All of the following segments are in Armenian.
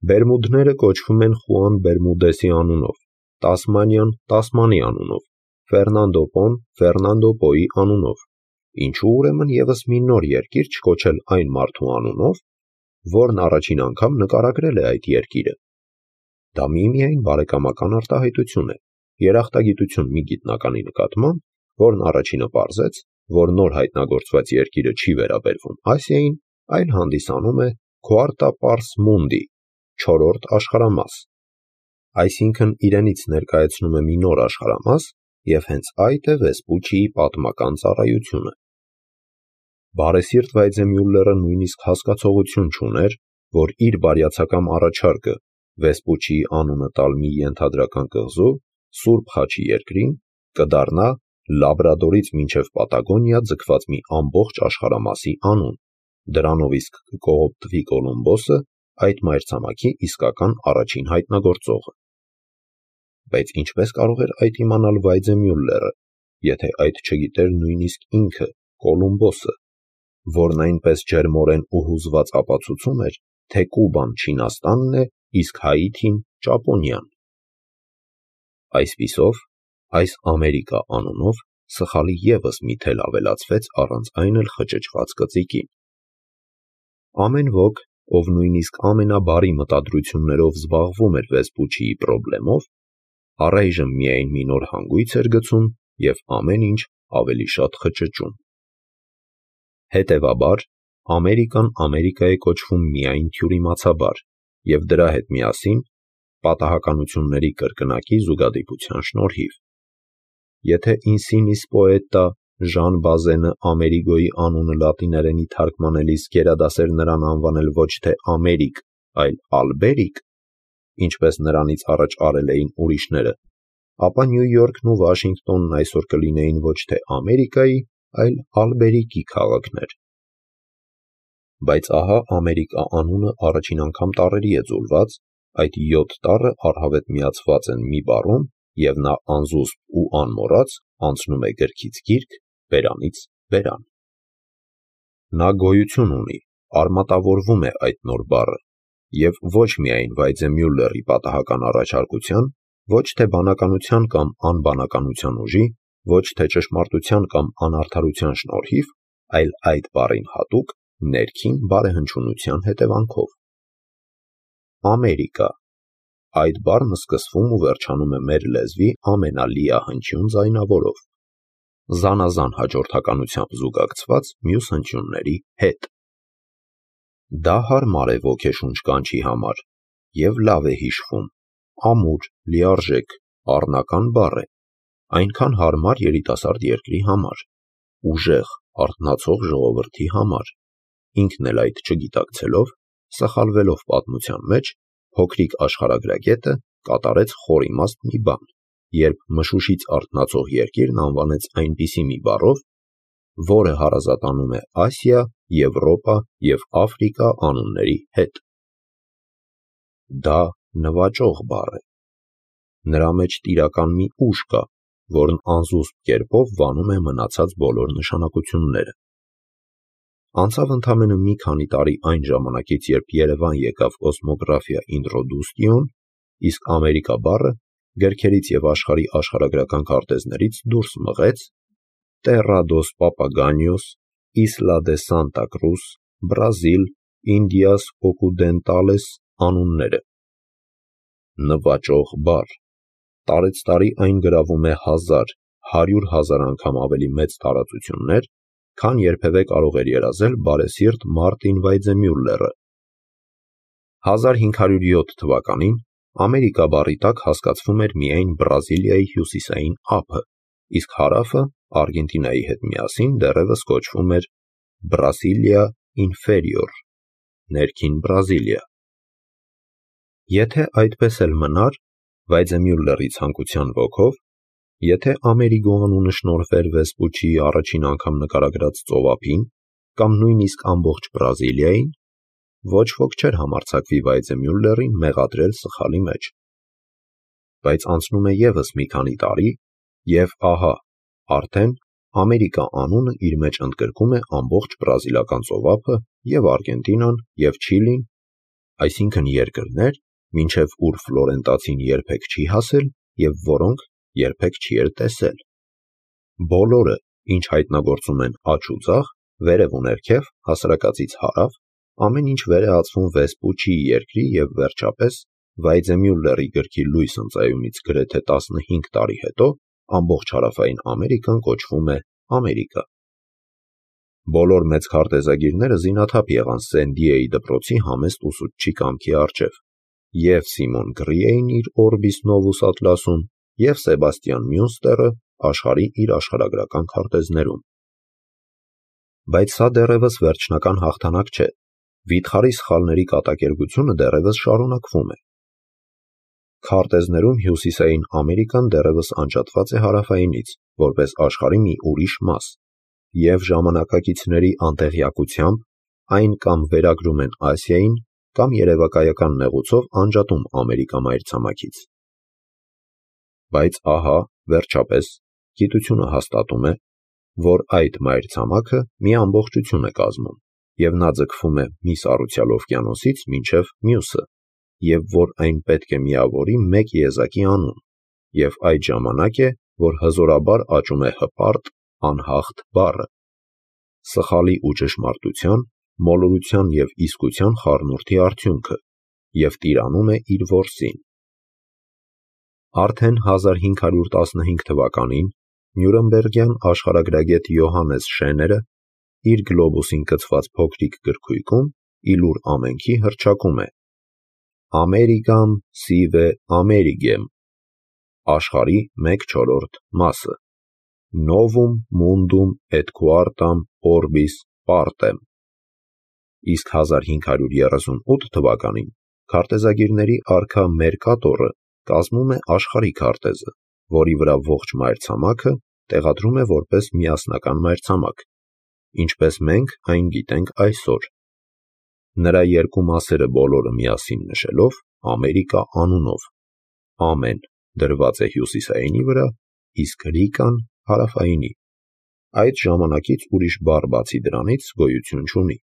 Բերմուդները կոչվում են Խուան Բերմուդեսի անունով, Տասմանիան Տասմանի անունով, Ֆերնանդո Պոն Ֆերնանդո Պոյի անունով, ինչու ուրեմն ևս մի նոր երկիր չկոչել այն մարդու անունով, որն առաջին անգամ նկարագրել է այդ երկիրը։ Դա միմիայն բարեկամական արտահայտություն է, երախտագիտություն մի գիտնականի նկատմամբ, որն առաջինը պարզեց, որ նոր հայտնագործված երկիրը չի վերաբերվում Ասիային, այլ հանդիսանում է Quarta Pars Mundi, չորրորդ աշխարհամաս, այսինքն իրենից ներկայացնում է մի նոր աշխարհամաս, եւ հենց այդ է Վեսպուչիի պատմական ծառայությունը։ Բարեսիրտ Վայձեմյուլլերը նույնիսկ հասկացողություն չուներ, որ իր բարյացակամ առաջարկը Վեսպուչիի անունը տալ մի ենթադրական կղզու Սուրբ Խաչի երկրին կդառնա Լաբրադորից մինչև Պատագոնիա ձգված մի ամբողջ աշխարհամասի անուն, դրանով իսկ կկողոպտվի Կոլումբոսը, այդ մայրցամաքի իսկական առաջին հայտնագործողը։ Բայց ինչպես կարող էր այդ իմանալ Վայձեմյուլլերը, եթե այդ չգիտեր նույնիսկ ինքը Կոլումբոսը, որն այնպես ջերմորեն ու հուզված ապացուցում էր, թե Կուբան Չինաստանն է, իսկ Հայիթին Ճապոնիան։ Այսպիսով, այս Ամերիկա անունով սխալի ևս մի թել ավելացվեց առանց այն էլ խճճված կծիկին։ Ամեն ոք, ով նույնիսկ ամենաբարի մտադրություններով զբաղվում էր Վեսպուչիի պրոբլեմով, առայժմ միայն մի նոր հանգույց էր գցում և ամեն ինչ ավելի շատ խճճում։ Հետևաբար, Ամերիկան Ամերիկա է կոչվում միայն թյուրիմացաբար և դրա հետ միասին պատահականությունների կրկնակի զուգադիպության շնորհիվ։ Եթե Ինսինիս պոետա Ժան Բազենը Ամերիգոյի անունը լատիներենի թարգմանելիս գերադասեր նրան անվանել ոչ թե Ամերիկ, այլ Ալբերիկ, ինչպես նրանից առաջ արել էին ուրիշները, ապա Նյու Յորքն ու Վաշինգտոնն այսօր կլինեին ոչ թե Ամերիկայի, այլ Ալբերիկի քաղաքներ։ Բայց ահա Ամերիկա անունը առաջին անգամ տառերի է ձուլված, այդ 7 տառը առհավետ միացված են մի բառում, և նա անզուսպ ու անմոռաց անցնում է գրքից գիրք, բերանից բերան։ Նա գոյություն ունի, արմատավորվում է այդ նոր բառը, և ոչ միայն Վայձեմյուլլերի պատահական առաջարկության, ոչ թե բանականության կամ անբանականության ուժի, ոչ թե ճշմարտության կամ անարդարության շնորհիվ, այլ այդ բառին հատուկ ներքին բարեհնչյունության հետևանքով։ Ամերիկա, այդ բառն սկսվում ու վերջանում է մեր լեզվի ամենալիահնչյուն ձայնավորով, զանազան հաջորդականությամբ զուգակցված մյուս հնչյունների հետ։ Դա հարմար է ոգեշունչ կանչի համար և լավ է հիշվում, ամուր, լիարժեք, առնական բառ է, այնքան հարմար երիտասարդ երկրի համար, ուժեղ, արթնացող ժողովրդի համար, ինքն էլ այդ չգիտակցելով, սխալվելով պատմության մեջ, փոքրիկ աշխարհագրագետը կատարեց խորիմաստ մի բան, երբ մշուշից արթնացող երկիրն անվանեց այնպիսի մի բառով, որը հարազատանում է Ասիա, Եվրոպա և Աֆրիկա անունների հետ։ Դա նվաճող բառ է։ Նրա մեջ տիրական մի ուժ կա, որն անզուսպ կերպով վանում է մնացած բոլոր նշանակությունները։ Անցավ ընդամենը մի քանի տարի այն ժամանակից, երբ Երևան եկավ Կոսմոգրաֆիա Ինտրոդուստիոն, իսկ Ամերիկա բառը գրքերից և աշխարհի աշխարհագրական քարտեզներից դուրս մղեց Terra dos Papaganios, Isla de Santa Cruz, Brazil, Indias Occidentales անունները։ Նվաճող բառ։ Տարեցտարի այն գրավում է 1000, 100,000 անգամ ավելի մեծ տարածություններ, քան երբևէ կարող էր երազել բարեսիրտ Մարտին Վայձեմյուլլերը։ 1507 թվականին Ամերիկա բառի տակ հասկացվում էր միայն Բրազիլիայի հյուսիսային ափը, իսկ հարավը Արգենտինայի հետ միասին դեռևս կոչվում էր Brasilia Inferior, ներքին Բրազիլիա։ Եթե այդպես էլ մնար, Վայձեմյուլլերի ցանկության ոգով, եթե Ամերիգո անունը շնորհվեր Վեսպուչիի առաջին անգամ նկարագրած ծովափին, կամ նույնիսկ ամբողջ Բրազիլիային, ոչ ոք չէր համարձակվի Վայձեմյուլլերին մեղադրել սխալի մեջ։ Բայց անցնում է ևս մի քանի տարի, և ահա, արդեն Ամերիկա անունը իր մեջ ընդգրկում է ամբողջ բրազիլական ծովափը և Արգենտինան, և Չիլին, այսինքն երկրներ, մինչև ուր ֆլորենտացին երբեք չի հասել և որոնք երբեք չի էլ տեսել։ Բոլորը, ինչ հայտնագործում են աջ ու ձախ, վերև ու ներքև, հասարակածից հարավ, ամեն ինչ վեր է ածվում Վեսպուչիի երկրի և վերջապես Վայձեմյուլլերի գրքի լույս ընծայումից գրեթե 15 տարի հետո ամբողջ հարավային Ամերիկան կոչվում է Ամերիկա։ Բոլոր մեծ քարտեզագիրները զինաթափ եղան Սեն-Դիեի դպրոցի համեստ ուսուցչի կամքի առջև։ Եվ Սիմոն Գրիեին իր Orbis Novus Atlas-ում, և Սեբաստիան Մյունստերը աշխարհի իր աշխարհագրական քարտեզներում։ Բայց սա դեռևս վերջնական հաղթանակ չէ։ Վիթխարի սխալների կատակերգությունը դեռևս շարունակվում է։ Քարտեզներում հյուսիսային Ամերիկան դեռևս անջատված է հարավայինից, որպես աշխարհի մի ուրիշ մաս, և ժամանակակիցների անտեղյակությամբ այն կամ վերագրում են Ասիային, կամ երևակայական նեղուցով անջատում Ամերիկա մայրցամաքից։ Բայց ահա, վերջապես, գիտությունը հաստատում է, որ այդ մայրցամաքը մի ամբողջություն է կազմում, և նա ձգվում է մի սառուցյալ օվկիանոսից մինչև մյուսը, և որ այն պետք է միավորի մեկ եզակի անուն, և այդ ժամանակ է, որ հզորաբար աճում է հպարտ, անհաղթ բառը, սխալի ու ճշմարտության, մոլորության և իսկության խառնուրդի արդյունքը, և տիրանում է իր որսին։ Արդեն 1515 թվականին Նյուրնբերգյան աշխարհագրագետ Յոհաննես Շեները իր գլոբուսին կցված փոքրիկ գրքույկում ի լուր ամենքի հռչակում է. Americam sive Amerigem, աշխարհի 1/4 մասը, Novum mundum et quartam orbis partem։ Իսկ 1538 թվականին քարտեզագիրների արքա Մերկատորը կազմում է աշխարհի քարտեզը, որի վրա ողջ մայրցամաքը տեղադրում է որպես միասնական մայրցամաք, ինչպես մենք այն գիտենք այսօր։ Նրա երկու մասերը բոլորը միասին նշելով Ամերիկա անունով, ամեն դրված է հյուսիսայինի վրա, իսկ Ռիկան հարավայինի։ Այդ ժամանակից ուրիշ բառ բացի դրանից գոյություն չունի։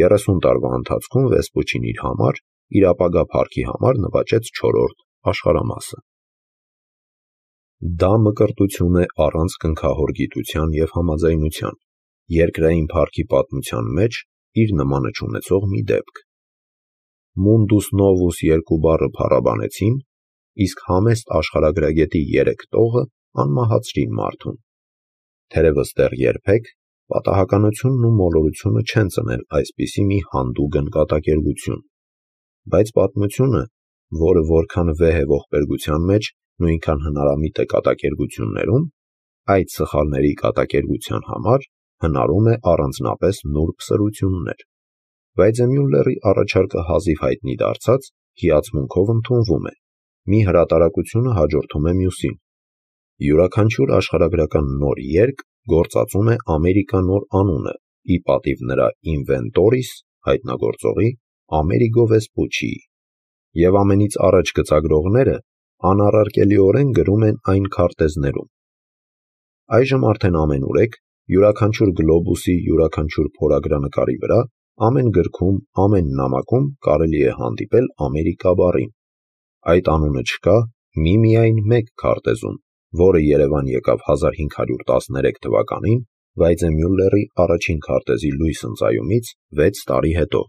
30 տարվա ընթացքում Վեսպուչին իր համար, իր ապագա փառքի համար նվաճեց 4-րդ աշխարհամասը։ Դա մկրտություն է առանց կնքահոր գիտության և համաձայնության, երկրային փառքի պատմության մեջ իր նմանը չունեցող մի դեպք։ Mundus Novus երկու բառը փառաբանեցին, իսկ համեստ աշխարհագրագետի 3 տողը անմահացրին մարդուն։ Թերևս դեռ երբեք պատահականությունն ու մոլորությունը չեն ծնել այսպիսի մի հանդուգն կատակերգություն։ Բայց պատմությունը, որը որքան վեհ է ողբերգության մեջ, նույնքան հնարամիտ է կատակերգություններում, այդ սխալների կատակերգության համար հնարում է առանձնապես նուրբ սրություններ։ Վայձեմյուլլերի առաջարկը հազիվ հայտնի դարձած, հիացմունքով ընդունվում է։ Մի հրատարակությունը հաջորդում է մյուսին։ Յուրաքանչյուր աշխարհագրական նոր երգ գործածում է Ամերիկա նոր անունը, ի պատիվ նրա ինվենտորիս, հայտնագործողի, Ամերիգո Վեսպուչիի, և ամենից առաջ գծագրողները անառարկելիորեն գրում են այն քարտեզներում։ Այժմ արդեն ամենուրեք, յուրաքանչյուր գլոբուսի յուրաքանչյուր փորագրանկարի վրա, ամեն գրքում, ամեն նամակում կարելի է հանդիպել Ամերիկա բառին։ Այդ անունը չկա միմիայն մեկ քարտեզում, որը Երևան եկավ 1513 թվականին Վայձեմյուլլերի առաջին քարտեզի լույս ընծայումից 6 տարի հետո։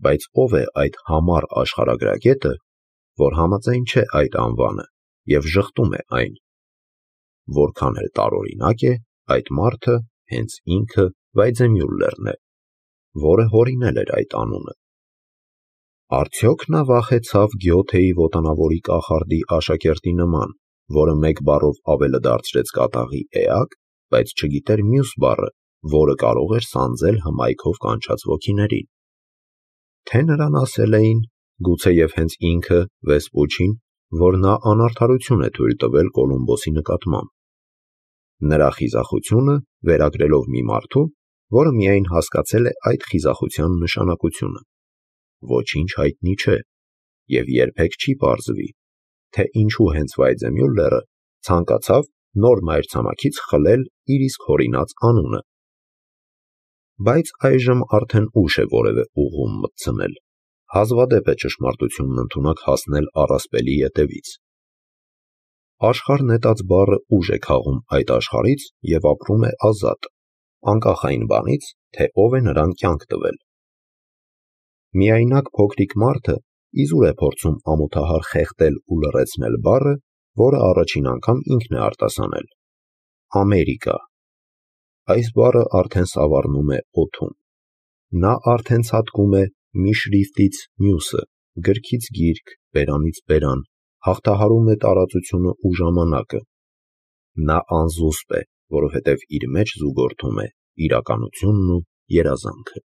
Բայց ով է այդ համառ աշխարհագրագետը, որ համաձայն չէ այդ անվանը և ժխտում է այն։ Որքան էլ տարօրինակ է, այդ մարդը հենց ինքը Վայձեմյուլլերն է, որը հորինել էր այդ անունը։ Արդյոք նա վախեցավ Գյոթեի ոտանավորի կախարդի աշակերտի նման, որը մեկ բառով ավելը դարձրեց կատաղի էակ, բայց չգիտեր մյուս բառը, որը կարող էր սանձել հմայքով կանչած ոգիներին։ Թե նրան ասել էին, գուցեև հենց ինքը Վեսպուչին, որ նա անարդարություն է թույլ տվել Կոլումբոսի նկատմամբ։ Նրա խիզախությունը վերագրելով մի մարդու, որը միայն հասկացել է այդ խիզախության նշանակությունը։ Ոչինչ հայտնի չէ, և երբեք չի պարզվի, թե ինչու հենց Վայձեմյուլլերը ցանկացավ նոր մայրցամաքից խլել իր իսկ հորինած անունը։ բայց այժմ արդեն ուշ է որևէ ուղղում մտցնել։ Հազվադեպ է ճշմարտությունն ընդունակ հասնել առասպելի ետևից։ Աշխարհ նետած բառը ուժ է քաղում այդ աշխարհից և ապրում է ազատ, անկախ այն բանից, թե ով է նրան կյանք տվել։ Միայնակ փոքրիկ մարդը իզուր է փորձում ամոթահար խեղդել ու լռեցնել բառը, որը առաջին անգամ ինքն է արտասանել։ Ամերիկա։ Այս բառը արդեն սավառնում է օդում։ Նա արդեն ցատկում է մի շրիֆտից մյուսը, գրքից գիրք, բերանից բերան, հաղթահարում է տարածությունը ու ժամանակը։ Նա անզուսպ է, որովհետև իր մեջ զուգորդում է իրականությունն ու երազանքը։